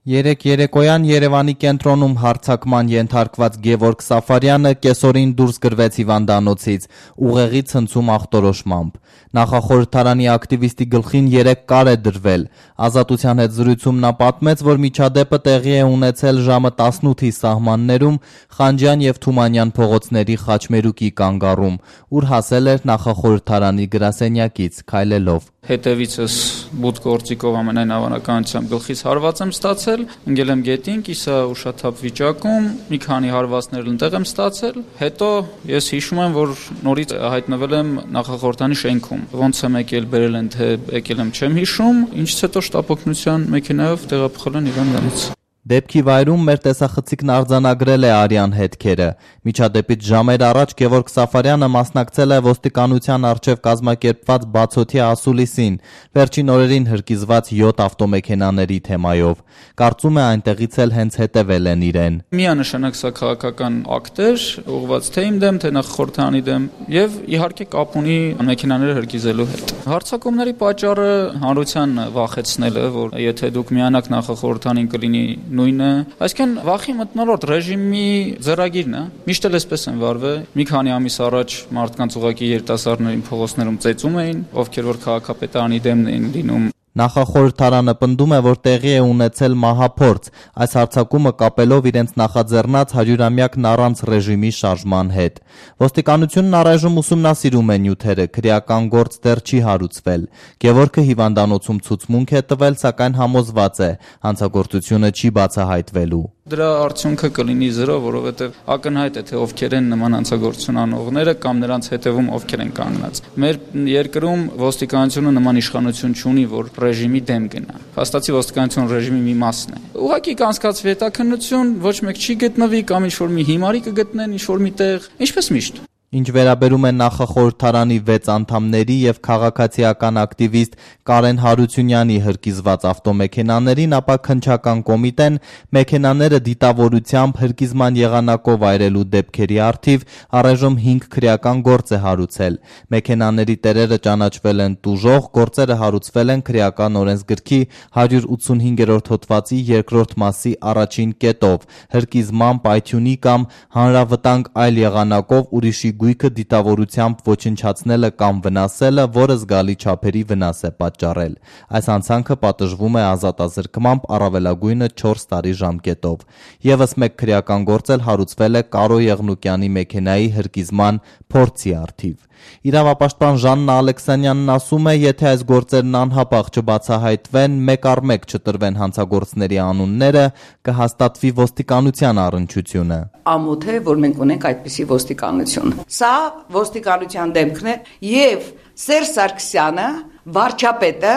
Երեկ երեկոյան Երևանի կենտրոնում հարձակման ենթարկված Գևորգ Սաֆարյանը կեսօրին դուրս գրվեց հիվանդանոցից ուղեղի ցնցում ախտորոշմամբ։ Նախախորհրդարանի ակտիվիստի գլխին 3 կար է դրվել։ Ազատության հետ զրույցում նա պատմեց, որ միջադեպը տեղի է ունեցել ժամը 18-ի սահմաններում Խանջյան եւ Թումանյան փողոցների Խաչմերուկի կանգառում, ուր հասել էր նախախորհրդարանի գրասենյակից քայլելով։ Հետևիցս բութ գործիկով ամենայն հավանականությամբ գլխից հարված եմ ստացել, ընկել եմ գետին, կիսա ուշաթափ վիճակում, մի քանի հարվածներ ընտեղ եմ ստացել, հետո ես հիշում եմ, որ նորից հայտնվել եմ նախախորհրդանի շենքում, ոնց եմ եկել, բերել են, թե եկել եմ չեմ հիշում, ինչից հետո շտապօգնության մեքենայով տեղափոխել են հիվանդանոց։ Դեպքի վայրում մեր տեսախցիկն արձանագրել է արյան հետքերը։ Միջադեպից ժամեր առաջ Գևորգ Սաֆարյանը մասնակցել է ոստիկանության առջև կազմակերպված բացօթյա ասուլիսին, վերջին օրերին հրկիզված 7 ավտոմեքենաների թեմայով։ Կարծում է այնտեղից էլ հենց հետևել են իրեն։ Միանշանակ սա քաղաքական ակտ էր, ուղղված թե իմ դեմ, թե նախախորհրդարանի դեմ, եւ իհարկե կապ ունի մեքենաները հրկիզելու հետ։ Հարձակումների պատճառը հանրության վախեցնելը, որ եթե դուք միանաք նախախորհրդարանին կլինի նույնը, այսինքն վախի մթնոլորտ ռեժիմի ձեռագիրն է։ Միշտ էլ էսպես են վարվել։ Մի քանի ամիս առաջ մարդկանց ուղղակի երիտասարդներին փողոցներում ծեծում էին, ովքեր որ քաղաքապետարանի դեմն էին լինում։ Նախախորհրդարանը պնդում է, որ տեղի է ունեցել մահափորձ, այս հարձակումը կապելով իրենց նախաձեռնած 100-ամյակն առանց ռեժիմի շարժման հետ։ Ոստիկանությունն առայժմ ուսումնասիրում է նյութերը, քրեական գործ դեռ չի հարուցվել։ Գևորգը հիվանդանոցում ցուցմունք է տվել, սակայն համոզված է, հանցագործությունը չի բացահայտվելու։ Դրա արդյունքը կլինի 0, որովհետև ակնհայտ է, թե ովքեր են նման հանցագործություն անողները կամ նրանց հետևում ովքեր են կանգնած։ Մեր երկրում ոստիկանությունը նման իշխանություն չունի, որ ռեժիմի դեմ գնա։ Փաստացի ոստիկանությունը ռեժիմի մի մասն է։ Ուղղակի կանցկացվի հետաքննություն, ոչ մեկ չի գտնվի կամ ինչ-որ մի հիմարի կգտնեն ինչ-որ մի տեղ, ինչպես միշտ։ Ինչ վերաբերում է նախախորհրդարանի 6 անդամների եւ քաղաքացիական ակտիվիստ Կարեն Հարությունյանի հրկիզված ավտոմեքենաներին, ապա քննչական կոմիտեն մեքենաները դիտավորությամբ հրկիզման եղանակով այրելու դեպքերի առթիվ առայժմ 5 քրեական գործ է հարուցել։ Մեքենաների տերերը ճանաչվել են տուժող, գործերը հարուցվել են քրեական օրենսգրքի 185-րդ հոդվածի 2-րդ մասի առաջին կետով՝ հրկիզման, պայթյունի կամ հանրավտանգ այլ եղանակով ուրիշի գույքը դիտավորությամբ ոչնչացնելը կամ վնասելը, որը զգալի չափերի վնաս է պատճառել։ Այս հանցանքը պատժվում է ազատազրկմամբ առավելագույնը 4 տարի ժամկետով։ Եվս մեկ քրեական գործ էլ հարուցվել է Կարո Եղնուկյանի մեքենայի հրկիզման փորձի առթիվ։ Իրավապաշտպան Ժաննա Ալեքսանյանն ասում է, եթե այս գործերն անհապաղ չբացահայտվեն, մեկ առ մեկ չտրվեն հանցագործների անունները, կհաստատվի ոստիկանության առնչությունը։ Ամոթ է, որ մենք ունենք այդպիսի ոստիկանություն։ Սա ոստիկանության դեմքն է եւ Սերժ Սարգսյանը, վարչապետը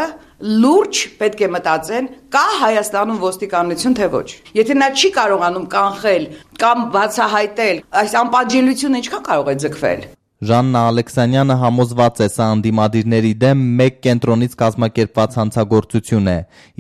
լուրջ պետք է մտածեն, կա Հայաստանում ոստիկանություն թե ոչ։ Եթե նա չի կարողանում կանխել կամ բացահայտել, այս անպատժելիությունը ինչքան կարող է ձգվել։ Ժաննա Ալեքսանյանը համոզված է, սա ընդդիմադիրների դեմ մեկ կենտրոնից կազմակերպված հանցագործություն է։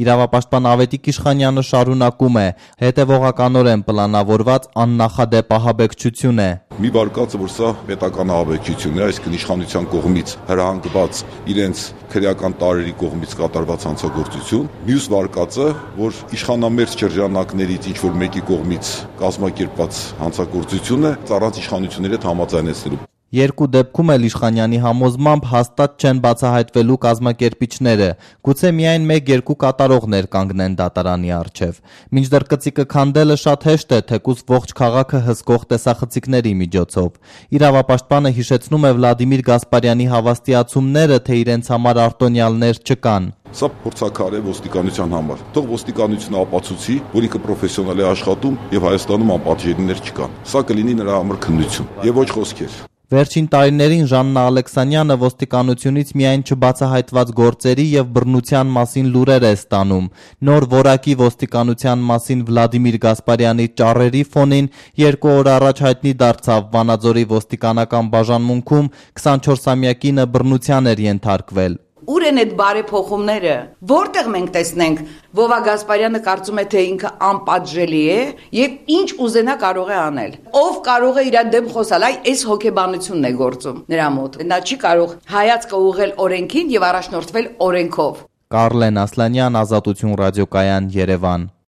Իրավապաշտպան Ավետիք Իշխանյանը շարունակում է, հետևողականորեն պլանավորված աննախադեպ ահաբեկչություն է։ Մի վարկածը, որ սա պետական ահաբեկչություն է, այսինքն իշխանության կողմից հրահանգված իրենց քրեական տարերի կողմից կատարված հանցագործություն, մյուս վարկածը, որ իշխանամերձ շրջանակներից ինչ-որ մեկի կողմից կազմակերպված հանցագործություն է, առանց իշխանությունների հետ համաձայնեցնելու։ Երկու դեպքում էլ Իշխանյանի համոզմամբ հաստատ չեն բացահայտվելու կազմակերպիչները, գուցե միայն 1-2 կատարողներ կանգնեն դատարանի առջև։ Մինչդեռ կծիկը քանդելը շատ հեշտ է, թեկուզ ողջ քաղաքը հսկող տեսախցիկների միջոցով։ Իրավապաշտպանը հիշեցնում է Վլադիմիր Գասպարյանի հավաստիացումները, թե իրենց համար արտոնյալներ չկան։ Սա փորձաքար է ոստիկանության համար։ Թող ոստիկանությունը ապացուցի, որ ինքը պրոֆեսիոնալ է աշխատում եւ Հայաստանում անպատժելիներ չկան։ Սա կլինի նրա համար քննություն եւ ոչ խոսքեր։ Վերջին տարիներին Ժաննա Ալեքսանյանը ոստիկանությունից միայն չբացահայտված գործերի եւ բռնության մասին լուրեր է ստանում։ Նոր որակի ոստիկանության մասին Վլադիմիր Գասպարյանի ճառերի ֆոնին 2 օր առաջ հայտնի դարձավ Վանաձորի ոստիկանական բաժանմունքում 24-ամյակինը բռնության էր ենթարկվել։ Ուր են այդ բարեփոխումները, որտեղ մենք տեսնենք Վովա Գասպարյանը կարծում է, թե ինքը անպատժելի է եւ ինչ ուզենա կարող է անել։ Ով կարող է իր դեմ խոսալ, այս հոգեբանությունն է գործում նրա մոտ։ Նա չի կարող հայացքը ուղղել օրենքին եւ առաջնորդվել օրենքով։ Կարլեն Ասլանյան, Ազատություն ռադիոկայան, Երևան։